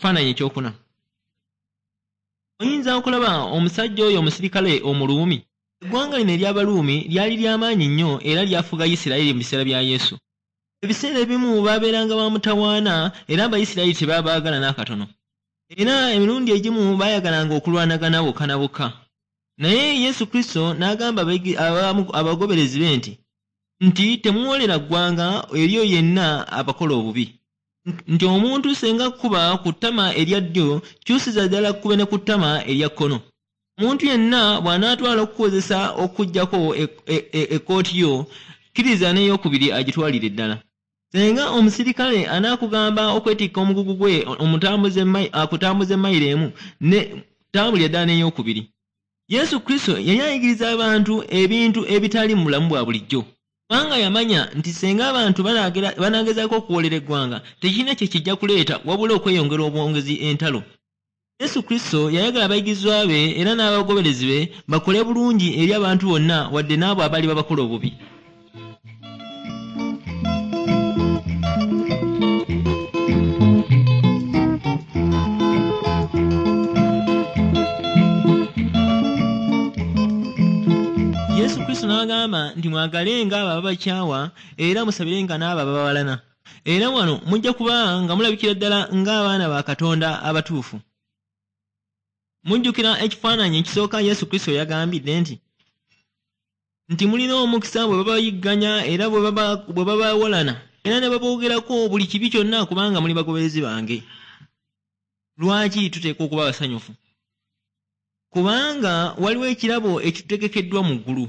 Ekifaananyi ekyokuna, oyinza okulaba omusajja oyo omusirikale Omuluumi? Eggwanga lino ery'Abaluumi lyali ly'amaanyi nnyo era lyafuga Isirayiri mu biseera bya Yesu. Ebiseera ebimu baabeeranga ba mutawaana era Abayisirayiri tebabaagala n'akatono. Era emirundi egimu baayagalanga okulwanagana bokka na bokka. Naye Yesu Kristo n'agamba abagoberezi be nti temuwolera ggwanga eri oyo yenna abakola obubi. Nti omuntu senga akkuba ku ttama erya ddyo, kyusiza ddala akkube ne ku ttama erya kkono. Omuntu yenna bw'anaatwala okukuwozesa okukuggyako ekkooti yo, kkiriza n'eyokubiri agitwalire ddala. Senga omusirikale anaakugamba okwetikka omugugu gwe akutambuze mayiro emu, ne tambulira ddala n'eyokubiri. Yesu Kristo yali ayigiriza abantu ebintu ebitali mu bulamu bwa bulijjo. Kubanga yamanya nti senga abantu banaagezaako okuwoolera eggwanga, tekirina kye kijja kuleeta wabula okweyongera obwongezi entalo. Yesu Kristo yayagala abayigirizwa be era n'abagoberezi be bakole bulungi eri abantu bonna wadde n'abo abaali babakola obubi. Yesu Kristo n'agamba nti mwagalenga abo ababakyawa era musabirenga n'abo ababawalana. Era wano mujja kuba nga mulabikira ddala ng'abaana ba Katonda abatuufu. Mujjukira ekifaananyi ekisooka Yesu Kristo yagambidde nti mulina omukisa bwe babayigganya era bwe babawalana era ne baboogerako buli kibi kyonna kubanga muli bagoberezi bange. Lwaki tuteekwa okuba abasanyufu? Kubanga waliwo ekirabo ekitutegekeddwa mu ggulu.